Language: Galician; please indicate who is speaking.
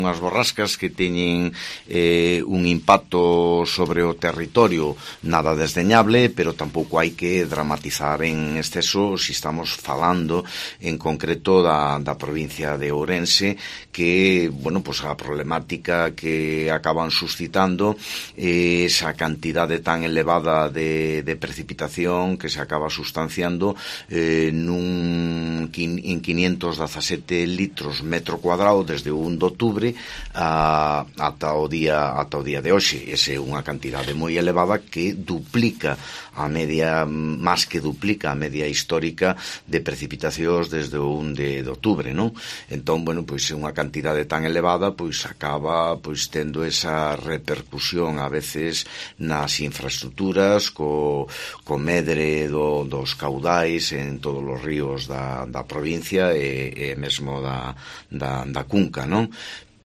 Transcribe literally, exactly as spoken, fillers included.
Speaker 1: unhas borrascas que teñen eh, un impacto sobre o territorio nada desdeñable, pero tampouco hai que dramatizar en exceso se estamos falando en concreto da, da provincia de Ourense, que, bueno, pues a problemática que acaban suscitando eh, esa cantidade tan elevada de, de precipitación que se acaba sustanciando eh, nun, en quinientos dezasete litros metro cuadrado desde o un de outubro a, ata o día ata o día de hoxe. Esa é unha cantidade moi elevada que duplica a media, máis que duplica a media histórica de precipitacións desde o un de outubro, non? Entón, bueno, pois é unha cantidade tan elevada, pois acaba pois tendo esa repercusión a veces nas infraestructuras, co, co medre do, dos caudais en todos os ríos da, da provincia e, e mesmo da, da, da cunca, non?